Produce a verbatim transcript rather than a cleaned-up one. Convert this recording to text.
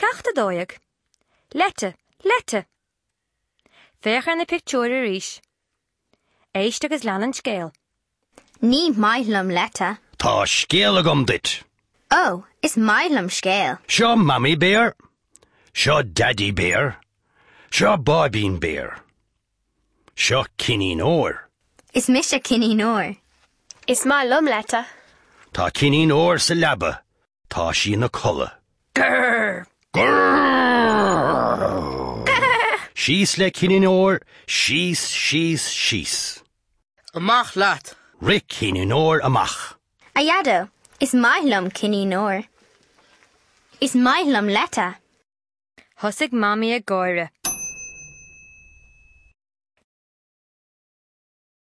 Ceacht a dó dhéag. Leite, leite! Féach ar na pictiúir arís. Éist agus lean an scéal. Ní maith liom leite. Tá scéal agam duit. Ó, is maith liom scéal. Seo Mamaí Béar. Seo Daidí Béar. Seo Báibín Béar. Seo Cinnín Óir. Is mise Cinnín Óir. Is maith liom leite. Tá Cinnín Óir sa leaba. Tá sí ina codladh. Grrr! Grrr! Síos le Cinnín Óir, síos, síos, síos. Amach leat. Rith Cinnín Óir amach. A Dhaideo, is maith liom Cinnín Óir. Is maith liom leite. Thosaigh Mamaí ag gáire.